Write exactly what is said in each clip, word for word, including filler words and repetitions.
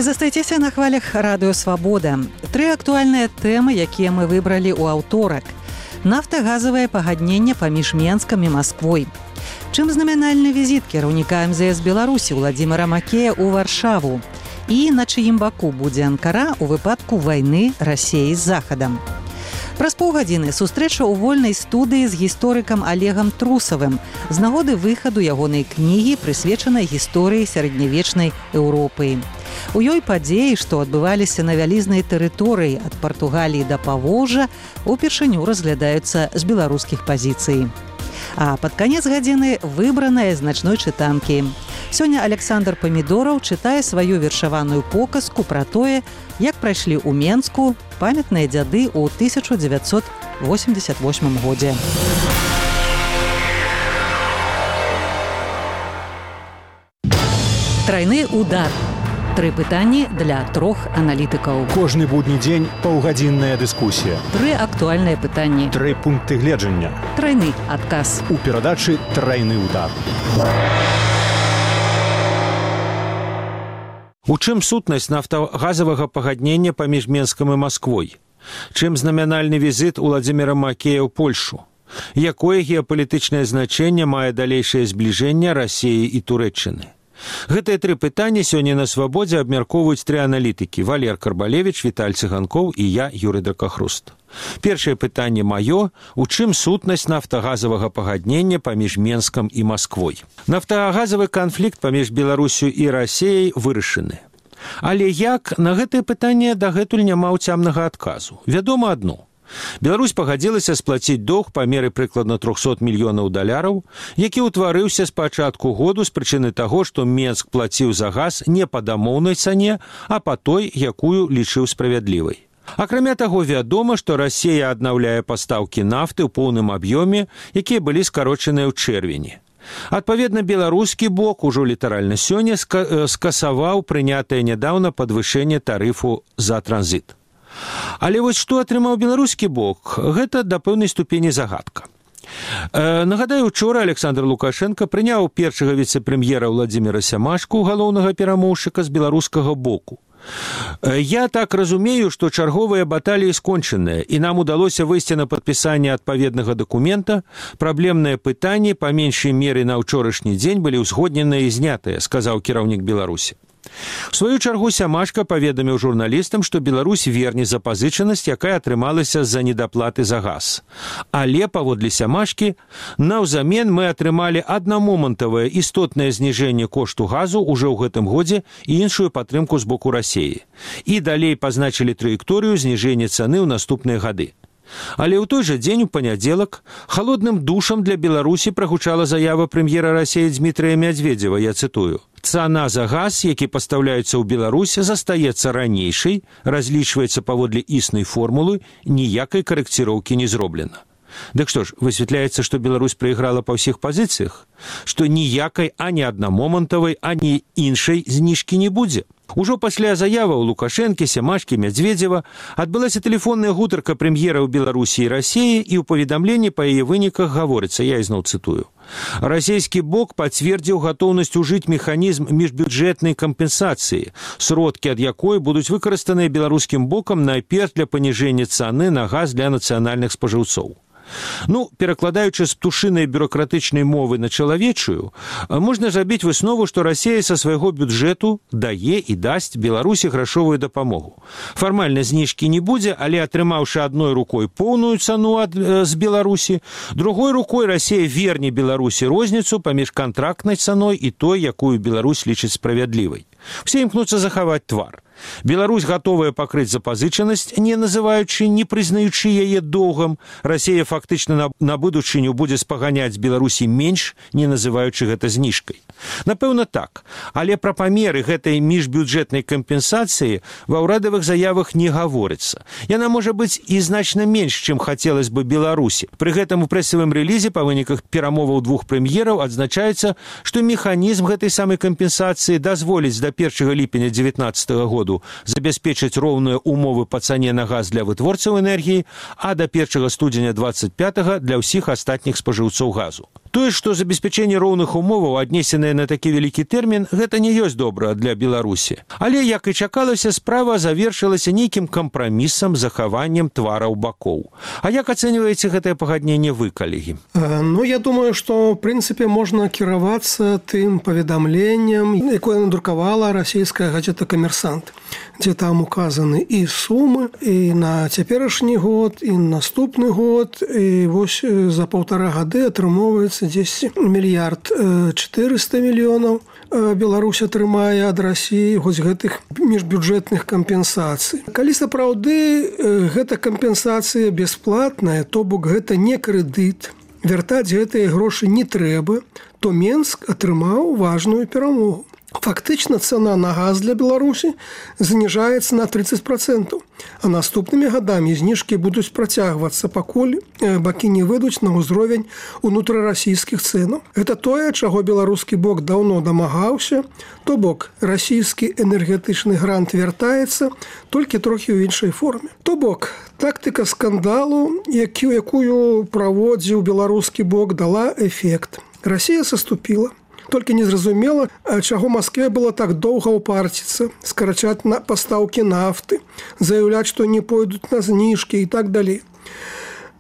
Вы застаецеся на хвалях радыё Свабода. Тры актуальныя тэмы, якія мы выбралі ў аўторак. Нафтагазавае пагадненне паміж Менскам і Масквой. Чым знамянальны візіт кіраўніка эм зэ эс Беларусі Владзіміра Макея ў Варшаву. І на чыім баку будзе Анкара ў выпадку вайны Расіі з Захадам. Праз паўгадзіны сустрэча ў вольнай студыі з гісторыкам Олегам Трусавым з нагоды выхаду ягонай кнігі, прысвечанай гісторыі сярэднявечнай Еўропы. У ёй падзеі, што адбываліся на вялізнай тэрыторыі ад Партугаліі да Паволжа, упершыню разглядаюцца з беларускіх пазіцый. А пад канец гадзіны выбраная значной чытанкі. Сёння Александр Памідораў чытае сваю вершаваную показку пра тое, як прайшлі ў Менску памятныя дзяды ў тысяча дзевяцьсот восемьдесят восьмым годзе. Трайны удар. Тры пытанні для трох аналітыкаў. Кожны будні дзень паўгадзінная дыскусія. Тры актуальныя пытанні. Тры пункты гледжання. Трайны адказ. У перадачы «Трайны удар». У чым сутнасць нафтагазавага пагаднення паміж Менскам і Масквой? Чым знамянальны візіт Владзіміра Макея ў Польшу? Якое геапалітычнае значэнне мае далейшае збліжэнне Расіі і Турэччыны? Гэтыя тры пытанні сёння на Свабодзе абмяркоўваюць тры аналітыкі: Валер Карбалевіч, Віталь Цыганкоў і я, Юрый Дракахруст. Першае пытанне маё: у чым сутнасць нафтагазавага пагаднення паміж Менскам і Масквой? Нафтагазавы канфлікт паміж Беларусю і Расіяй вырашаны. Але як, на гэтае пытанне дагэтуль няма ўцямнага адказу. Вядома адно. Беларусь пагадзілася сплаціць доўг па меры прыкладна трохсот мільёнаў даляраў, які ўтварыўся з пачатку году з прычыны таго, што Менск плаціў за газ не па дамоўнай цане, а па той, якую лічыў справядлівай. Акрамя таго, вядома, што Расія аднаўляе пастаўкі нафты ў поўным аб'ёме, якія былі скарочаныя ў чэрвені. Адпаведна, беларускі бок ужо літаральна сёння скасаваў прынятае нядаўна падвышэнне тарыфу за транзіт. Але вось што атрымаў беларускі бок, гэта да пэўнай ступені загадка. Э, нагадаю, учора Александр Лукашенко прыняў першага віцэ-прэм'ера Владзіміра Сямашку, галоўнага перамоўшчыка з беларускага боку. Э, я так разумею, што чарговыя баталіі скончаныя, і нам удалося выйсці на падпісанне адпаведнага дакумента. Праблемныя пытанні па меншай меры на ўчорашні дзень былі ўзгодненыя і знятыя, сказаў кіраўнік Беларусі. У сваю чаргу Сямашка паведаміў журналістам, што Беларусь верне запазычанасць, якая атрымалася з-за недаплаты за газ. Але, паводле Сямашкі, наўзамен мы атрымалі аднамомантавае істотнае зніжэнне кошту газу ўжо ў гэтым годзе і іншую падтрымку з боку Расіі. І далей пазначылі траекторыю зніжэння цаны ў наступныя гады. Але ў той жа дзень, у панядзелак, халодным душам для Беларусі прагучала заява прэм'ера Расіі Дмітрыя Мядзведзева, я цытую: «Цана за газ, які пастаўляецца ў Беларусь, застаецца ранейшай, разлічваецца паводле існай формулы, ніякай карэкціроўкі не зроблена». Дык што ж, высвятляецца, што Беларусь прайграла па ўсіх пазіцыях? Што ніякай ані аднамомантавай, ані іншай зніжкі не будзе? Ужо пасля заяваў Лукашэнкі, Сямашкі, Мядзведзева адбылася тэлефонная гутарка прэм'ераў Беларусі і Расіі, і ў паведамленні па яе выніках гаворыцца, я ізноў цытую: «Расійскі бок пацвердзіў гатоўнасць ужыць механізм міжбюджэтнай кампенсацыі, сродкі ад якой будуць выкарыстаныя беларускім бокам найперш для паніжэння цаны на газ для нацыянальных спажыўцоў». Ну, перакладаючы з птушынай бюрократычнай мовы на чалавечую, можна зрабіць выснову, што Расія са свайго бюджэту дае і дасць Беларусі грашовую дапамогу. Фармальна зніжкі не будзе, але атрымаўшы адной рукой поўную цану ад, э, з Беларусі, другой рукой Расія верне Беларусі розніцу паміж кантрактнай цаной і той, якую Беларусь лічыць справядлівай. Все імкнуцца захаваць твар. Беларусь гатовая пакрыць запазычанасць, не называючы, не прызнаючы яе доўгам. Расія фактычна на, на будучыню будзе спаганяць Беларусі менш, не называючы гэта зніжкай. Напэўна, так. Але пра памеры гэтай міжбюджэтнай кампенсацыі ва ўрадавых заявах не гаворыцца. Яна можа быць і значна менш, чым хацелось бы Беларусі. Пры гэтым у прэсавым рэлізе па выніках перамоваў двух прэм'ераў адзначаецца, што механізм гэтай самай кампенсацыі дазволіць да першага ліпеня дзевятнаццатага году забяспечыць роўныя умовы па цане на газ для вытворцаў энергіі, а да першага студзеня дваццаць пятага для ўсіх астатніх спажыўцоў газу. Тое, што забеспячэнне роўных умоваў, аднесенае на такі вялікі тэрмін, гэта не ёсць добра для Беларусі. Але, як і чакалася, справа завершылася нейкім кампрамісам, захаваннем твараў бакоў. А як ацэньваеце гэтае пагадненне вы, калегі? Ну, я думаю, што, в прынцыпе, можна кіравацца тым паведамленнем, якое надрукавала расійская газета «Камерсант», дзе там указаны і сумы, і на цяперашні год, і наступны год, і вось за паўтара гады атрымоўваецца дзесьці мільярд чатырыста мільёнаў Беларусь атрымае ад Расіі вось гэтых міжбюджэтных кампенсацый. Калі сапраўды гэта кампенсацыя бясплатная, то бок гэта не крэдыт, вяртаць гэтыя грошы не трэба, то Менск атрымаў важную перамогу. Фактычна цана на газ для Беларусі зніжаецца на тридцать процентаў, а наступнымі гадамі зніжкі будуць працягвацца, пакуль бакі не выйдуць на ўзровень унутрарасійскіх цэнаў. Гэта тое, чаго беларускі бок даўно дамагаўся, то бок расійскі энергетычны грант вяртаецца, толькі трохі ў іншай форме. То бок тактыка скандалу, якую праводзіў беларускі бок, дала эфект. Расія саступіла. Толькі незразумела, чаго Маскве было так доўга ўпарціцца, скарачаць на пастаўкі нафты, заяўляць, што не пойдуць на зніжкі і так далей.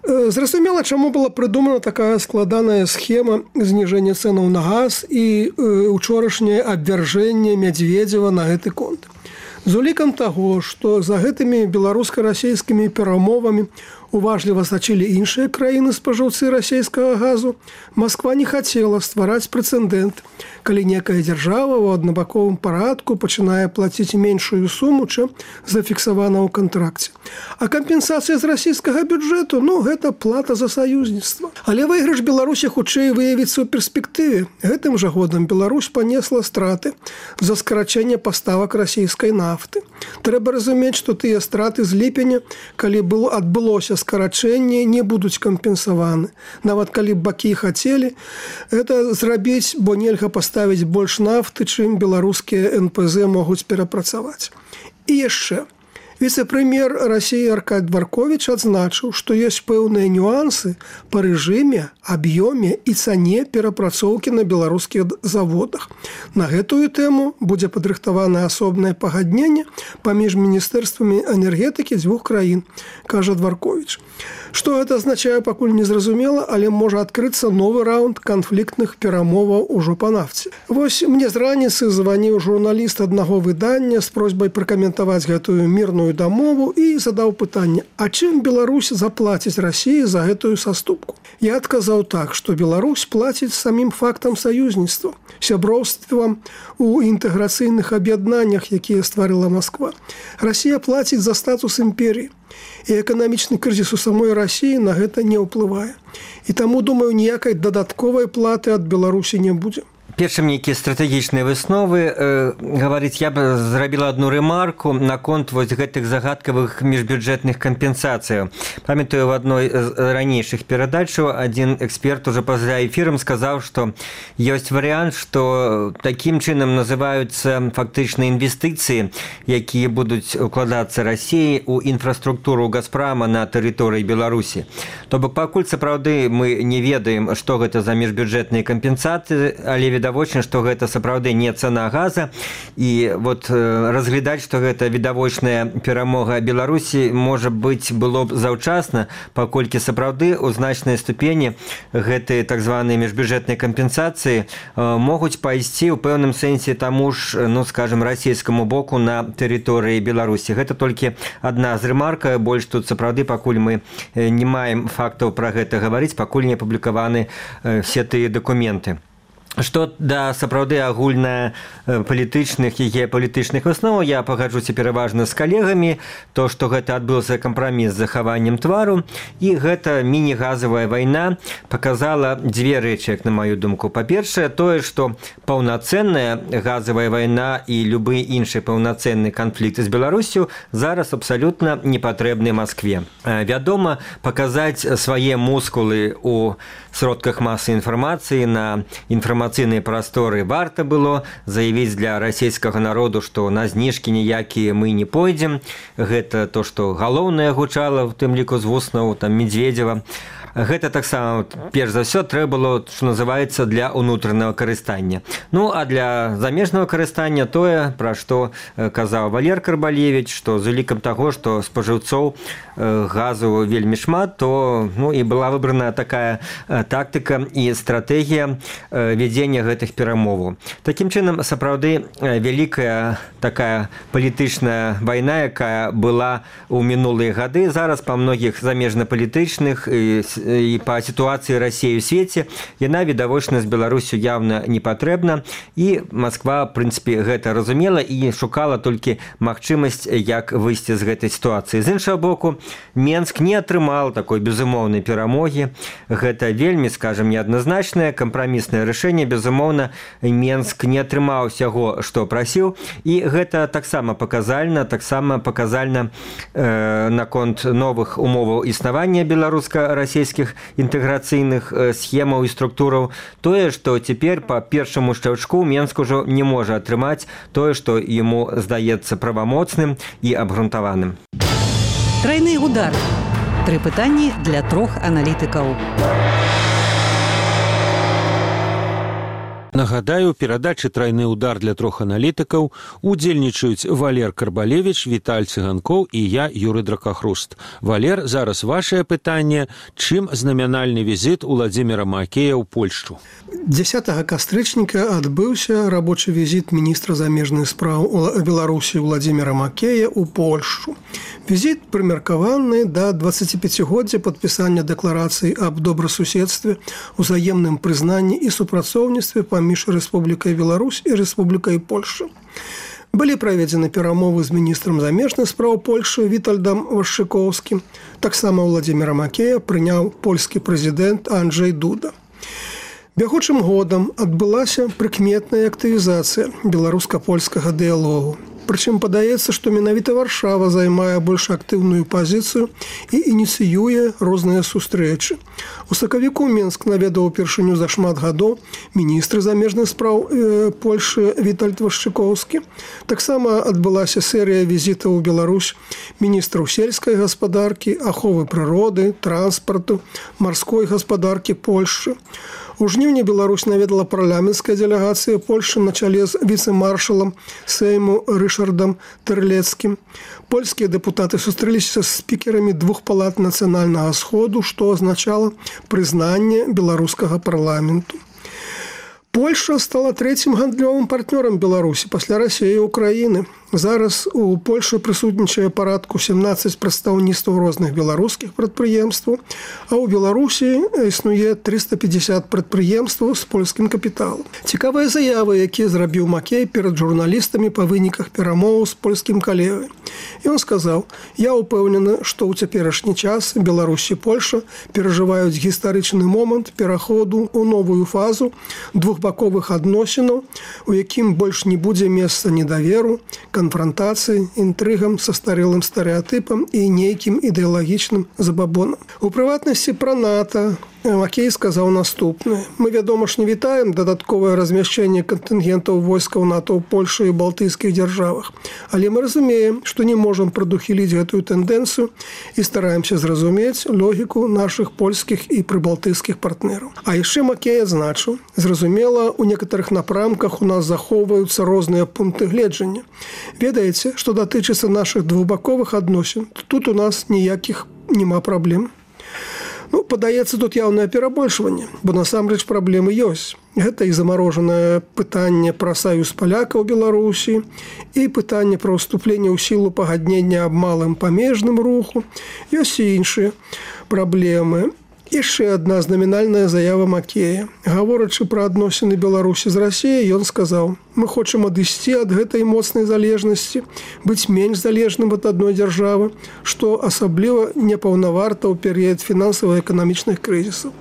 Зразумела, чаму была прыдумана такая складаная схема зніжэння цэнаў на газ і учорашняе абвяржэнне Мядзведзева на гэты конт. З улікам таго, што за гэтымі беларуска-расійскімі перамовамі уважліва сачылі іншыя краіны спажыўцы расійскага газу, Масква не хацела ствараць прэцэдэнт, калі некая дзяржава ў аднабаковым парадку пачынае плаціць меншую суму, чым зафіксавана ў кантракце. А кампенсацыя з расійскага бюджэту, ну, гэта плата за саюзніцтва. Але выйгрыш Беларусі хутчэй выявіцца ў перспектыве. Гэтым жа годам Беларусь панесла страты за скарачэнне паставак расійскай нафты. Трэба разумець, што тыя страты з ліпеня, калі было адбылося скарачэнне, не будуць кампенсаваны. Нават калі бакі хацелі гэта зрабіць, бо нельга паставіць больш нафты, чым беларускія эн пэ зэ могуць перапрацаваць. І яшчэ. Віцэ-прэм'ер Расіі Аркадзь Дворкович адзначыў, што ёсць пэўныя нюансы па рэжыме, аб'ёме і цане перапрацоўкі на беларускіх заводах. На гэтую тэму будзе падрыхтавана асобнае пагадненне паміж міністэрствамі энергетыкі дзвюх краін, кажа Дворкович. Што гэта азначае, пакуль незразумела, але можа адкрыцца новы раунд канфліктных перамоваў ужо па нафце. Вось мне з раніцы званіў журналіст аднаго выдання з просьбай пракаментаваць гэтую мірную дамову і задаў пытанне: а чым Беларусь заплаціць Расіі за гэтую саступку? Я адказаў так, што Беларусь плаціць самім фактам саюзніцтва, сяброўствам у інтэграцыйных аб'яднаннях, якія стварыла Масква. Расія плаціць за статус імперіі. І эканамічны крызіс у самой Расіі на гэта не ўплывае. І таму, думаю, ніякай дадатковай платы ад Беларусі не будзе. Першым нейкія стратэгічныя высновы э, гаварыць, я б зрабіла адну рэмарку наконт вось гэтых загадкавых міжбюджэтных кампенсацыяў. Памятаю, в адной з ранейшых перадачаў адзін эксперт уже па-за эфірам сказаў, што ёсць варыянт, што такім чынам называюцца фактычна інвестыцыі, якія будуць укладацца Расіі ў інфраструктуру Газпрама на тэрыторыі Беларусі. То бок пакуль сапраўды мы не ведаем, што гэта за міжбюджэтныя кампенсацыі, але відавочна, што гэта сапраўды не цана газа, і вот разглядаць, што гэта відавочная перамога Беларусі, можа быць, было б заўчасна, паколькі сапраўды ў значнай ступені гэтыя так званыя міжбюджэтныя кампенсацыі могуць пайсці ў пэўным сэнсе таму ж, ну, скажем, расійскаму боку на тэрыторыі Беларусі. Гэта толькі адна з рэмарка, больш тут сапраўды пакуль мы не маем фактаў пра гэта гаварыць, пакуль не апублікаваны все тыя дакументы. Што да сапраўды агульна палітычных і геапалітычных высноваў, я пагаджуся пераважна з калегамі, то, што гэта адбыўся кампраміс з захаваннем твару, і гэта міні-газавая вайна паказала дзве рэчы, як на маю думку. Па-першае, тое, што паўнацэнная газавая вайна і любы іншы паўнацэнны канфлікт з Беларусю зараз абсалютна не патрэбны Маскве. Вядома, паказаць свае мускулы ў сродках масы інфармацыі на інфармацыйныя прасторы варта было, заявіць для расійскага народу, што на зніжкі ніякія мы не пойдзем. Гэта то, што галоўнае гучала, у тым ліку з вуснаў там Медведзева. Гэта таксама перш за ўсё трэба было, што называецца, для ўнутранага карыстання. Ну а для замежнага карыстання тое, пра што казаў Валер Карбалевіч, што з улікам таго, што спажыўцоў газу вельмі шмат, то ну, і была выбрана такая тактыка і стратэгія вядзення гэтых перамоваў. Такім чынам, сапраўды вялікая такая палітычная вайна, якая была ў мінулыя гады, зараз па многіх замежна-палітычных і, і па сітуацыі Расіі ў свеце, яна відавочна з Беларусю явна не патрэбна, і Масква, в прынцыпе, гэта разумела і шукала толькі магчымасць, як выйсці з гэтай сітуацыі. З іншага боку, Менск не атрымаў такой безумоўнай перамогі. Гэта вельмі, скажем, неадназначнае кампраміснае рашэнне. Безумоўна, Менск не атрымаў усяго, што прасіў, і гэта таксама паказальна, таксама паказальна э, наконт новых умоваў існавання беларуска-расійскіх інтэграцыйных схемаў і структураў. Тое, што цяпер па першаму шчаўчку Менск ужо не можа атрымаць тое, што яму здаецца правамоцным і абгрунтаваным. Трайны удар. Тры пытанні для трох аналітыкаў. Нагадаю, перадачы «Трайны удар» для трох аналітыкаў удзельнічаюць Валер Карбалевіч, Віталь Цыганкоў і я, Юрый Дракахруст. Валер, зараз вашае пытанне. Чым знамянальны візіт Уладзіміра Макея ў Польшчу? дзесятага кастрычніка адбыўся рабочы візіт міністра замежных спраў Беларусі Уладзіміра Макея ў Польшчу. Візіт прымеркаваны да дваццаціпяцігоддзя падпісання дэкларацыі аб добрасуседстве, узаемным прызнанні і супрацоўніцтве паміж Рэспублікай Беларусь і Рэспублікай Польшча. Былі праведзены перамовы з міністрам замежных спраў Польшчы Вітальдам Вашчыкоўскім. Таксама Уладзіміра Макея прыняў польскі прэзідэнт Анджэй Дуда. Бягучым годам адбылася прыкметная актывізацыя беларуска-польскага дыялогу. Прычым падаецца, што менавіта Варшава займае больш актыўную пазіцыю і ініцыюе розныя сустрэчы. У сакавіку Менск наведаў упершыню за шмат гадоў міністр замежных спраў э, Польшы Вітальд Вашчыкоўскі. Таксама адбылася серыя візітаў у Беларусь міністраў сельскай гаспадаркі, аховы прыроды, транспарту, марской гаспадаркі Польшчы. У жніўні Беларусь наведала парламенцкая дэлегацыя Польшчы на чале з віцэ-маршалам Сейму Рышардам Тэрлецкім. Польскія дэпутаты сустрэліся з спікерамі двух палат нацыянальнага сходу, што азначала прызнанне беларускага парламенту. Польша стала трэцім гандлёвым партнёрам Беларусі пасля Расіі і Украіны. Зараз у Польшы прысутнічае парадку сямнаццаць прадстаўніцтваў розных беларускіх прадпрыемстваў, а ў Беларусі існуе трыста пятьдесят прадпрыемстваў з польскім капіталам. Цікавыя заявы, якія зрабіў Макей перад журналістамі па выніках перамоваў з польскім калегай. Ён сказаў: «Я ўпэўнены, што ў цяперашні час Беларусь і Польша перажываюць гістарычны момант пераходу ў новую фазу двухбаковых адносінаў, у якім больш не будзе месца недаверу, конфронтации, интригам, состарелым стереотипом и неким идеологичным забабоном. У приватности про НАТО Макей сказал наступное. Мы, вядома ж, не вітаем дадатковае размяшчэнне кантынгентаў войскаў НАТО ў Польшы і балтыйскіх дзяржавах. Але мы разумеем, што не можам прадухіліць гэтую тэндэнцыю і стараемся зразумець логіку нашых польскіх і прыбалтыйскіх партнераў. А яшчэ Макей адзначыў: зразумела, у некаторых напрамках у нас захоўваюцца розныя пункты гледжання. Ведаеце, што датычыцца нашых двухбаковых адносін, тут у нас ніякіх няма праблем. Ну, падаецца, тут яўнае перабольшванне, бо насамрэч праблемы ёсць. Гэта і замарожанае пытанне пра саюз палякаў Беларусі, і пытанне пра ўступленне ў сілу пагаднення аб малым памежным руху. Ёсць і іншыя праблемы. Яшчэ адна знамінальная заява Макея. Гаворачы пра адносіны Беларусі з Расіяй, ён сказаў: «Мы хочам адысці ад гэтай моцнай залежнасці, быць менш залежным ад адной дзяржавы, што асабліва непаўнаварта ў перыяд фінансава-эканамічных крызісаў».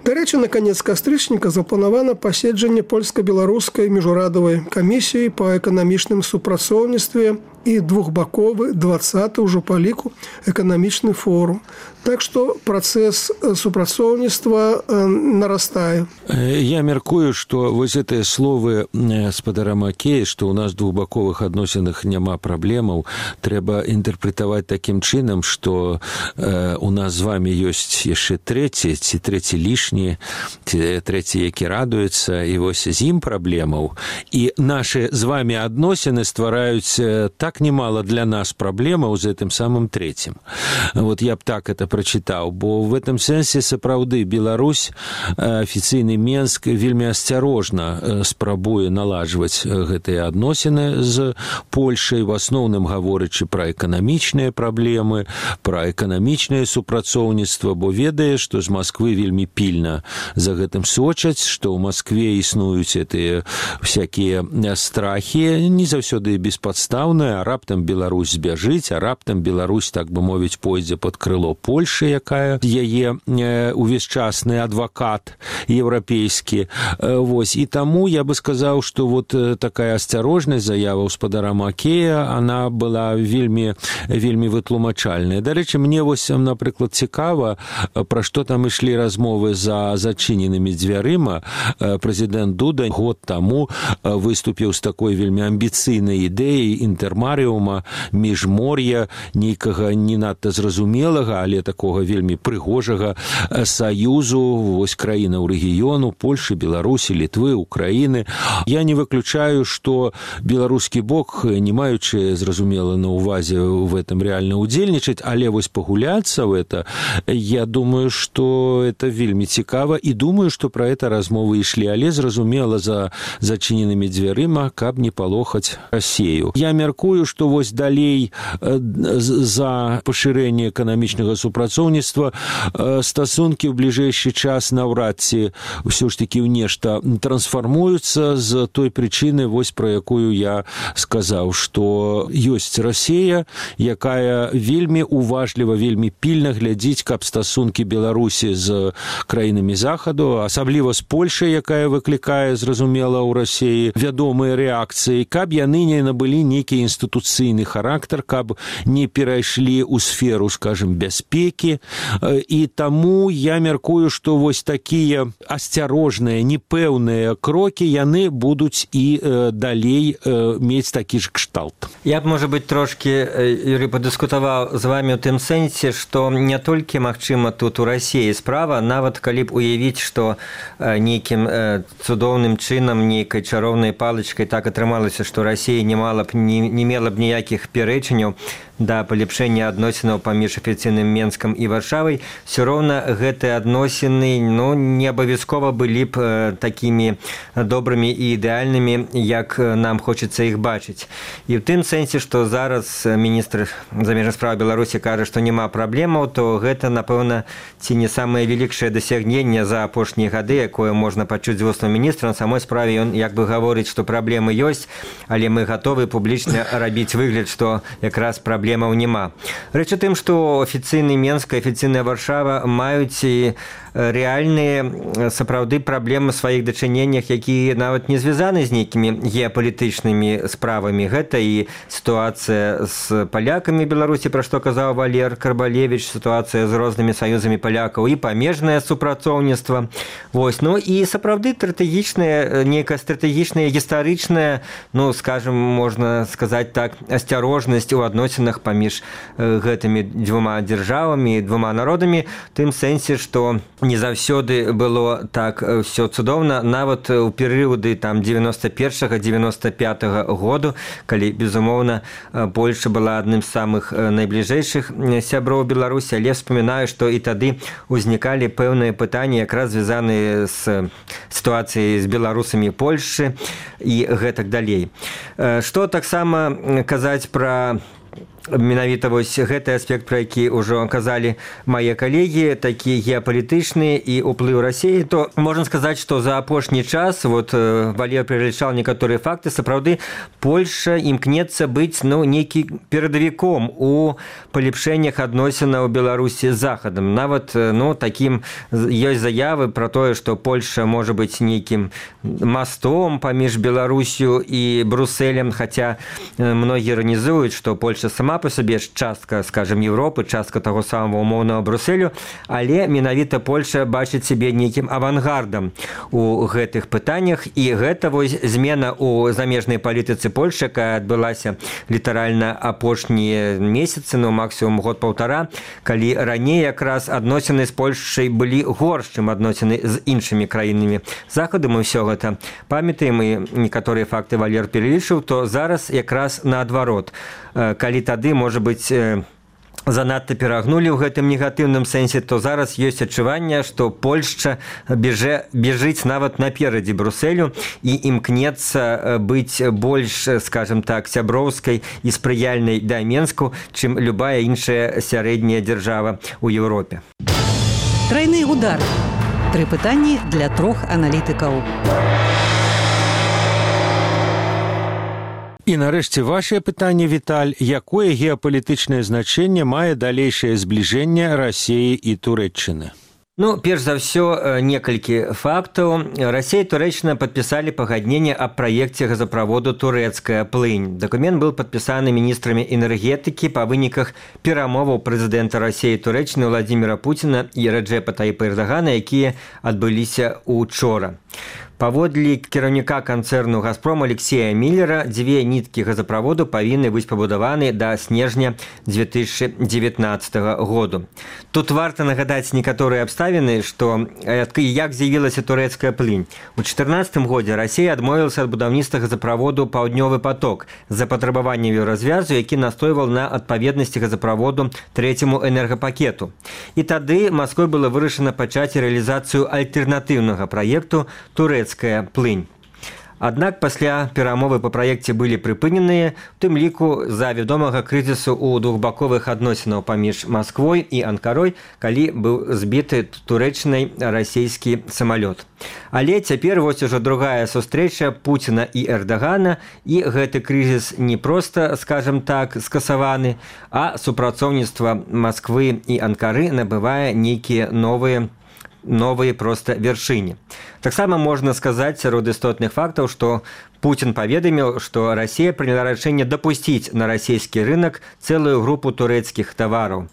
Дарэчы, на канец кастрычніка запланавана паседжанне польска-беларускай міжурадавай камісіі па эканамічным супрацоўніцтве і двухбаковы двадцаты ўжо па ліку эканамічны форум. Так што працэс супрацоўніцтва нарастае. Я мяркую, што вось гэтыя словы спадара Макея, што ў нас двухбаковых адносінах няма праблемаў, трэба інтэрпрэтаваць такім чынам, што э, у нас з вами ёсць яшчэ трэці, ці трэці лішні, ці трэці, які радуецца, і вось з ім праблемаў. І нашы з вами адносіны ствараюць так немало для нас праблемаў з гэтым самым трэцім. Вот я б так это прачытаў, бо в этом сэнсе сапраўды Беларусь, афіцыйны Менск вельмі асцярожна спрабуе наладжваць гэтыя адносіны з Польшай, в асноўным гаворачы пра эканамічныя праблемы, пра эканамічнае супрацоўніцтва, бо ведае, што з Масквы вельмі пільна за гэтым сочаць, што ў Маскве існуюць гэтыя всякія страхі, не заўсёды беспадстаўныя, а раптам Беларусь збяжыць, а раптам Беларусь, так бы мовіць, пойдзе пад крыло Польши, якая яе увесь часны адвакат еўрапейскі. Вось. І таму я бы сказаў, што вот такая асцярожнасць заява спадара Макея, она была вельмі, вельмі вытлумачальная. Дарэчы, мне вось, напрыклад, цікава, пра што там ішлі размовы за зачыненымі дзвярыма. Прэзідэнт Дуда год таму выступіў з такой вельмі амбіцыйнай ідэяй інтэрмарыума, міжмор'я, нейкага не надта зразумелага, але такога вельмі прыгожага саюзу, вось краінаў рэгіёну, Польшы, Беларусі, Літвы, Украіны. Я не выключаю, што беларускі бок, не маючы, зразумела, на увазе в этом реально удзельнічаць, але вось пагуляцца в это, я думаю, што это вельмі цікава, і думаю, што пра это размовы ішлі, але зразумела за зачыненымі дзвярыма, каб не палохаць Расею. Я мяркую, што вось далей за пашырэнне эканамічнага супрацоўніцтва стасункі ў бліжэйшы час наўрад ці ўсё ж такі ў нешта трансфармуюцца з той прычыны, вось пра якую я сказаў, што ёсць Расея, якая вельмі уважліва, вельмі пільна глядзіць, каб стасункі Беларусі з краінамі Захаду, асабліва з Польшай, якая выклікае, зразумела, ў Расеі вядомыя рэакцыі, каб яны не набылі нейкі інстытуцыйны характар, каб не перайшлі ў сферу, скажем, бяспекі. І таму я мяркую, што вось такія асцярожныя, непэўныя крокі, яны будуць і э, далей э, мець такі ж кшталт. Я б, можа быць, трошкі, Юрий, падыскутаваў з вами ў тым сэнсе, што не толькі, магчыма, тут у Расіі справа, нават калі б уявіць, што нейкім цудоўным чынам, нейкай чароўнай палачкай так атрымалася, што Расія не мала б, не, не мела б ніякіх пярэчанняў да палепшэння адносінаў паміж афіцыйным Менскам і Варшавай, все роўна гэтыя адносіны, ну, не абавязкова былі б такімі добрымі і ідэальнымі, як нам хочацца іх бачыць. І ў тым сэнсе, што зараз міністр замежных спраў Беларусі кажа, што няма праблемаў, то гэта, напэўна, ці не самае вялікшае дасягненне за апошнія гады, якое можна пачуць з вуснаў міністра. На самой справе ён як бы гаворыць, што праблемы ёсць, але мы гатовы публічна рабіць выгляд, што якраз праблемы праблемаў няма. Рэч у тым, што афіцыйны Менск, афіцыйная Варшава маюць і рэальныя сапраўды праблемы ў сваіх дачыненнях, якія нават не звязаны з нейкімі геапалітычнымі справамі. Гэта і сітуацыя з палякамі Беларусі, пра што казаў Валер Карбалевіч, сітуацыя з рознымі саюзамі палякаў і памежнае супрацоўніцтва. Вось. Ну і сапраўды стратэгічнае, нейкая стратэгічная, гістарычная, ну, скажем, можна сказаць так, асцярожнасць у адносінах паміж гэтымі дзвюма дзяржавамі, двума народамі, тым сэнсе, што не заўсёды было так все цудоўна, нават у перыяды там дзевяносто першага дзевяносто пятага году, калі, безумоўна, Польша была адным з самых найбліжэйшых сяброў Беларусі, але вспоминаю, што і тады узнікалі пэўныя пытанні, якраз звязаныя з сітуацыяй з беларусамі Польшы і гэтак далей. Што таксама казаць пра менавіта вось гэты аспект, пра які ўжо казалі мае калегі, такі геапалітычны і ўплыў Расіі, то можна сказаць, што за апошні час, вот Валер пералічаў некаторыя факты, сапраўды Польша імкнецца быць, ну, нейкі перадавіком у палепшэннях адносінаў Беларусі з Захадам. Нават, ну, такім ёсць заявы пра тое, што Польша можа быць нейкім мастом паміж Беларусю і Брусэлем, хаця многія іранізуюць, што Польша сама по сабе частка, скажем, Европы, частка таго самого умоўнага Брусселю, але менавіта Польша бачыць сябе нейкім авангардам у гэтых пытаннях, і гэта вось змена ў замежнай палітыцы Польши, якая адбылася літаральна апошнія месяцы, ну, максімум год-паўтара, калі раней якраз адносіны з Польшай былі горш, чым адносіны з іншымі краінамі Захаду. Мы ўсё гэта памятаем, і некаторыя факты Валер пералічыў, то зараз якраз наадварот. Калі тады, можа быць, занадта перагнулі ў гэтым негатыўным сэнсе, то зараз ёсць адчуванне, што Польшча бежэ, бежыць нават наперадзе Брусэлю і імкнецца быць больш, скажем так, сяброўскай і спрыяльнай да Менску, чым любая іншая сярэдняя дзяржава ў Еўропе. Трайны удар. Тры пытанні для трох аналітыкаў. І нарэшце вашае пытанне, Віталь, якое геапалітычнае значэнне мае далейшае збліжэнне Расіі і Турэччыны? Ну, перш за ўсё, некалькі фактаў. Расія і Турэччына падпісалі пагадненне аб праекце газаправоду «Турэцкая плынь». Дакумент быў падпісаны міністрамі энергетыкі па выніках перамоваў прэзідэнта Расіі і Турэччыны Владзіміра Пуціна і Рэджэпа Тайіпа Эрдагана, якія адбыліся учора. Паводле кіраўніка канцэрну «Газпром» Алексея Міллера, дзве ніткі газаправоду павінны быць пабудаваны да снежня дзве тысячы дзевятнаццатага году. Тут варта нагадаць некаторыя абставіны, што як з'явілася турэцкая плынь. У чатырнаццатым годзе Расія адмовілася ад будаўніцтва газаправоду «Паўднёвы поток» з-за патрабавання еўразвязу, які настойваў на адпаведнасці газаправоду трэцяму энергапакету. І тады Масквой было вырашана пачаць рэалізацыю альтэрнатыўнага праекту «Турэцкая плынь». Аднак пасля перамовы па праекце былі прыпыненыя, у тым ліку з-за вядомага крызісу ў двухбаковых адносінаў паміж Масквой і Анкарой, калі быў збіты Турэччынай расійскі самалёт. Але цяпер вось ужо другая сустрэча Пуціна і Эрдагана, і гэты крызіс не проста, скажем так, скасаваны, а супрацоўніцтва Масквы і Анкары набывае нейкія новыя новые просто вяршыні. Таксама можна сказаць сярод істотных фактаў, што Путін паведаміў, што Расія прыняла рашэнне дапусціць на расійскі рынок цэлую групу турэцкіх тавараў.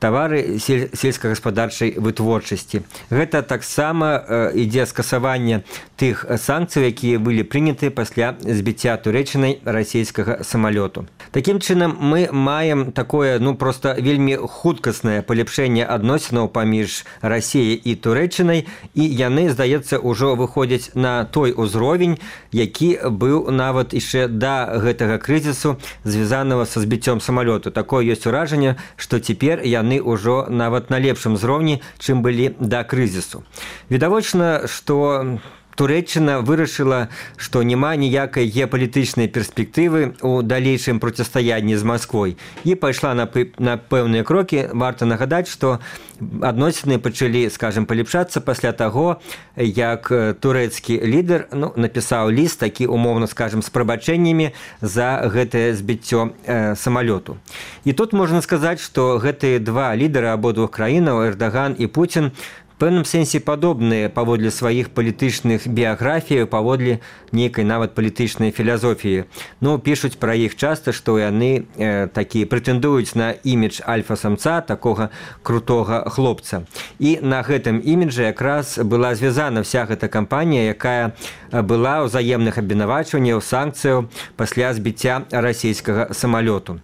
Тавары сельскагаспадарчай вытворчасці. Гэта таксама ідзе скасаванне тых санкцый, якія былі прыняты пасля збіцця Турэччынай расійскага самалёту. Такім чынам, мы маем такое, ну, проста вельмі хуткаснае палепшэнне адносінаў паміж Расіяй і Турэччынай, і яны, здаецца, ўжо выходзяць на той узровень, які быў нават яшчэ да гэтага крызісу, звязанага са збіццём самалёту. Такое ёсць уражанне, што цяпер яны ўжо нават на лепшым узроўні, чым былі да крызісу. Відавочна, што Турэччына вырашыла, што няма ніякай геапалітычнай перспектывы ў далейшым процістаянні з Масквой, і пайшла на, на пэўныя крокі. Варта нагадаць, што адносіны пачалі, скажем, палепшацца пасля таго, як турэцкі лідар, ну, напісаў ліст, такі умоўна, скажем, з прабачэннямі за гэтае збіццё э, самалёту. І тут можна сказаць, што гэтыя два лідары абодвух краінаў, Эрдаган і Пуцін, в пэўным сэнсе падобныя паводле сваіх палітычных біяграфій, паводле нейкай нават палітычнай філасофіі. Ну, пішуць пра іх часта, што яны э, такі прэтэндуюць на імідж альфа-самца, такога крутога хлопца. І на гэтым іміджы якраз была звязана вся гэта кампанія, якая была ўзаемных абвінавачванняў, санкцыяў пасля збіцця расійскага самалёту.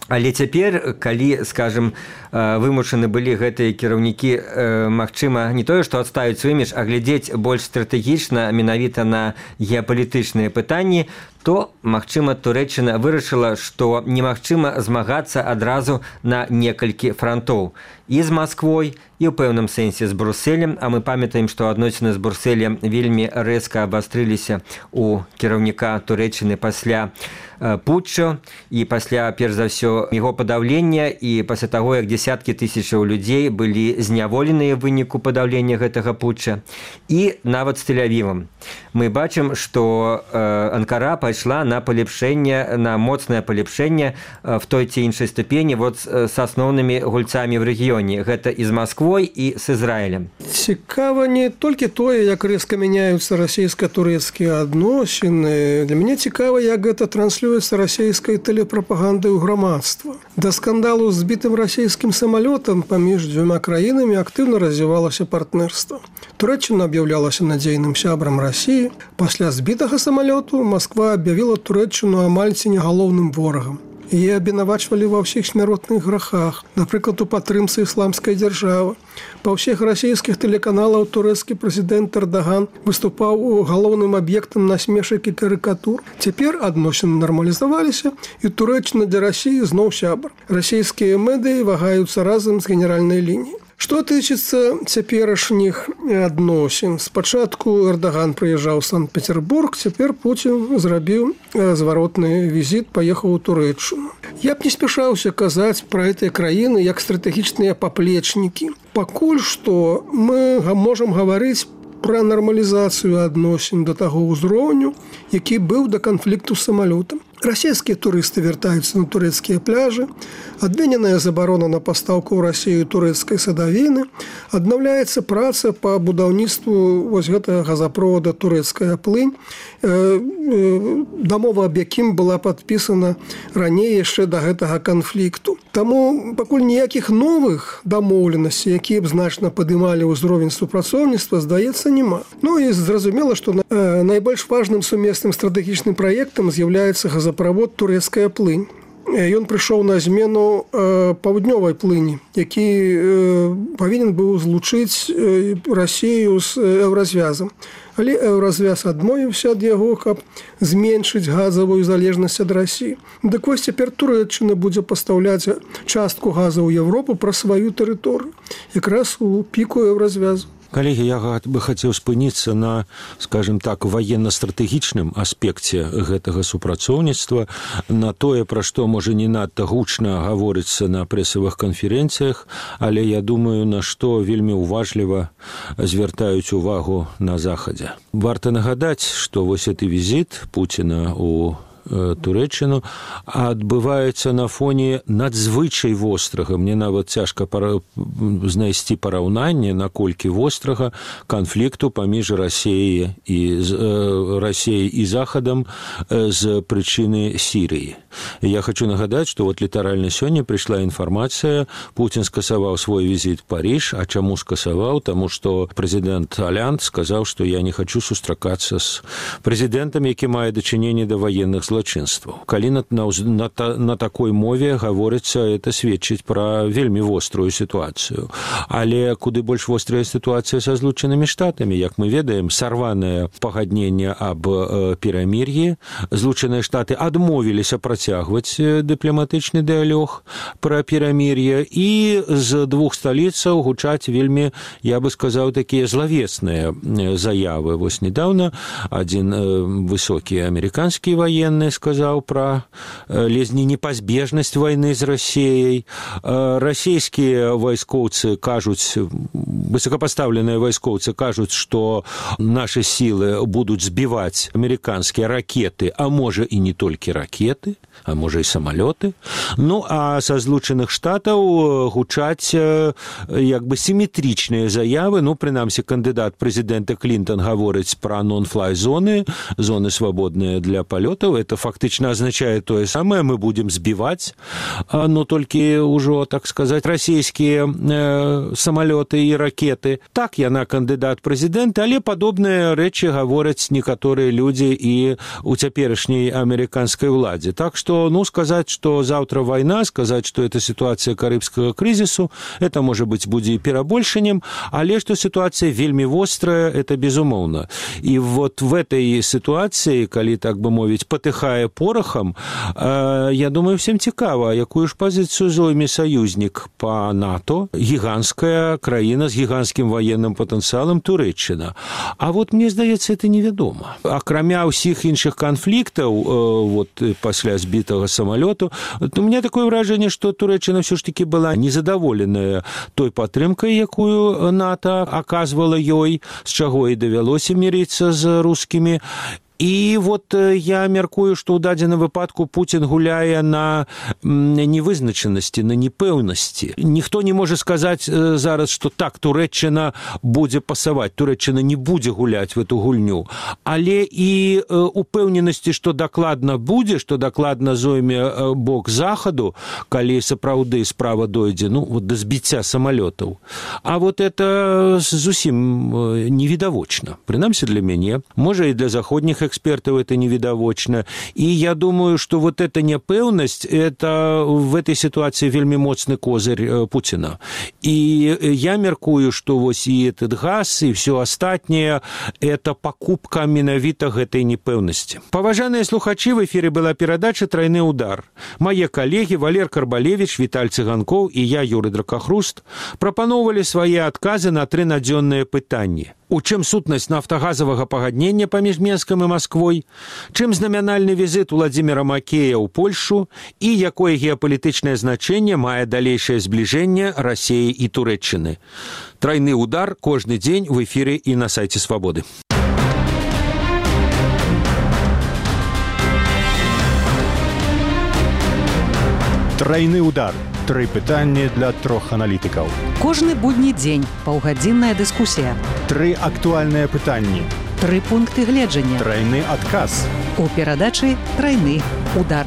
Але цяпер, калі, скажем, вымушаны былі гэтыя кіраўнікі, магчыма, не тое, што адставіць свой імідж, а глядзець больш стратэгічна, менавіта на геапалітычныя пытанні, то, магчыма, Турэччына вырашыла, што немагчыма змагацца адразу на некалькі франтоў. І з Масквой, і ў пэўным сэнсе з Брусэлем, а мы памятаем, што адносіны з Брусэлем вельмі рэзка абастрыліся у кіраўніка Турэччыны пасля путчу і пасля, перш за ўсё, яго падаўлення і пасля таго, як дзесяткі тысячаў людзей былі зняволеныя ў выніку падаўлення гэтага путча, і нават з Тель-Авівам. Мы бачым, што Анкара пайшла на палепшэнне, на моцнае палепшэнне в той ці іншай ступені вот з асноўнымі гульцамі ў рэгіёне. Гэта і з Масквой, і з Ізраілем. Цікава не толькі тое, як рэзка мяняюцца расійска-турэцкія адносіны. Для мяне цікава, як гэта транслюецца расійскай тэлепрапагандай ў грамадства. Да скандалу з збітым расійскім самалётам паміж дзвюма краінамі актыўна развівалася партнерства. Турэччына аб'яўлялася надзейным сябрам Расіі. Пасля збітага самалёту Масква аб'явіла Турэччыну амаль ці не галоўным ворагам. Яе абвінавачвалі ва ўсіх смяротных грахах, напрыклад, у падтрымцы ісламскай дзяржавы. Па ўсіх расійскіх тэлеканалаў турэцкі прэзідэнт Эрдаган выступаў галоўным аб'ектам насмешак і карыкатур. Цяпер адносіны нармалізаваліся, і Турэччына для Расіі зноў сябар. Расійскія медыі вагаюцца разам з генеральнай лініяй. Што тычыцца цяперашніх адносін. Спачатку Эрдаган прыязджаў у Санкт-Петербург, цяпер Пуцін зрабіў зваротны візіт, паехаў у Турэччыну. Я б не спяшаўся казаць пра гэтыя краіны як стратэгічныя паплечнікі. Пакуль што мы можам гаварыць пра нармалізацыю адносін да таго ўзроўню, які быў да канфлікту з самалётам. Расійскія турысты вяртаюцца на турэцкія пляжы, адмененая забарона на пастаўку ў Расію турэцкай садавіны, аднаўляецца праца па будаўніцтву вось гэтага газапровода турэцкая плынь, дамова аб якім была падпісана раней яшчэ да гэтага канфлікту. Таму пакуль ніякіх новых дамоўленасцей, якія б значна падымалі ўзровень супрацоўніцтва, здаецца, няма. Ну і зразумела, што найбольш важным сумесным стратэгічным праектам з'яўляецца газапровод турэцкая плынь. Ён прыйшоў на змену паўднёвай плыні, які павінен быў злучыць Расію з еўразвязам. Але еўразвяз адмовіўся ад яго, каб зменшыць газавую залежнасць ад Расіі. Дык вось цяпер Турэччына будзе пастаўляць частку газа ў Еўропу праз сваю тэрыторыю, якраз у піку еўразвязу. Калегі, я бы хацеў спыніцца на, скажем так, военно-стратэгічным аспекце гэтага супрацоўніцтва, на тое, пра што, можа, не надта гучна гаворыцца на прэсавых канферэнцыях, але я думаю, на што вельмі уважліва звяртаюць увагу на Захадзе. Варта нагадаць, што вось гэты візіт Пуціна у Турэччыну адбываецца на фоне надзвычай вострага. Мне нават цяжка пара... знайсці параўнанне, наколькі вострага канфлікту паміж Расіяй і э, Расіяй і Захадам з прычыны Сірыі. Я хочу нагадаць, што вот літаральна сёння прыйшла інфармацыя, Пуцін скасаваў свой візіт у Париж. А чаму скасаваў? Таму што прэзідэнт Аллянд сказаў, што я не хочу сустракацца з прэзідэнтам, які мае дачыненне да ваенных злачынстваў. Калі на, на, на, на такой мове гаворыцца, это сведчыць пра вельмі вострую сітуацыю. Але куды больш вострая сітуацыя са Злучанымі Штатамі. Як мы ведаем, сарванае пагадненне аб э, перамір'і. Злучаныя Штаты адмовіліся працягваць дыпламатычны дыялог пра перамір'е, і з двух сталіцаў гучаць вельмі, я бы сказаў, такія злавесныя заявы. Вось недавно адзін э, высокі амерыканскі ваенны сказаў пра ледзь не непазбежнасць вайны з Расіяй. Расійскія вайскоўцы кажуць, высокапастаўленыя вайскоўцы кажуць, што нашы сілы будуць збіваць амерыканскія ракеты, а можа і не толькі ракеты, а можа і самалёты. Ну, а са Злучаных Штатаў гучаць як бы сіметрычныя заявы. Ну, прынамсі, кандыдат прэзідэнта Клінтон гаворыць пра нон-флай зоны, зоны свабодныя для палётаў. Это фактично означает то же самое, мы будем сбивать, но только уже, так сказать, российские э, самолеты и ракеты ракеты. Так, яна кандыдат прэзідэнта, але падобныя рэчы гавораць некаторыя людзі і у цяперашняй амерыканскай уладзе. Так што, ну, сказаць, што заўтра вайна, сказаць, што это сітуацыя карыбскага крызісу, это, можа быць, будзе і перабольшаннем, але што сітуацыя вельмі вострая, это безумоўна. І вот в этой сітуацыі, калі, так бы мовіць, патыхае порахам, э, я думаю, всем цікава, якую ж пазіцыю зойме саюзнік па НАТО, гіганская краіна з гіганскім военным патэнцыялам Турэччына. А вот мне здаецца, это невядома. Акрамя ўсіх іншых канфліктаў, э, вот пасля збітага самалёту, у меня такое ўражанне, што Турэччына ўсё ж таки была незадаволеная той падтрымкай, якую НАТО аказвала ёй, з чаго і давялося мірыцца з рускімі. І вот я мяркую, што ў дадзеным выпадку Пуцін гуляе на невызначанасці, на непэўнасці. Ніхто не можа сказаць зараз, што так, Турэччына будзе пасаваць, Турэччына не будзе гуляць в эту гульню. Але і упэўненасці, што дакладна будзе, што дакладна зойме бок захаду, калі сапраўды справа дойдзе, ну, вот да збіцця самалётаў. А вот это зусім невідавочна. Прынамсі для мяне, можа і для заходніх экспертов это невидовочно. И я думаю, что вот эта непэўнасць, это в этой ситуации вельмі моцны козырь Путина. И я меркую, что вось и этот газ, и все остальное, это покупка менавіта гэтай непэўнасці. Паважаныя слухачы, в эфире была перадача «Тройны удар». Мои коллеги Валер Карбалевич, Виталь Цыганков и я, Юрий Дракахруст, прапаноўвалі свае адказы на тры надзённыя пытанні. У чым сутнасць нафтагазавага пагаднення паміж Менскам і Масквой, чым знамянальны візіт Уладзіміра Макея ў Польшу і якое геапалітычнае значэнне мае далейшае збліжэнне Расіі і Турэччыны. Тройны удар кожны дзень в эфіры і на сайце Свабоды. Тройны удар. Тры пытанні для трох аналітыкаў. Кожны будні дзень паўгадзінная дыскусія. Тры актуальныя пытанні. Тры пункты гледжання. Тройны адказ. У перадачы «Тройны удар».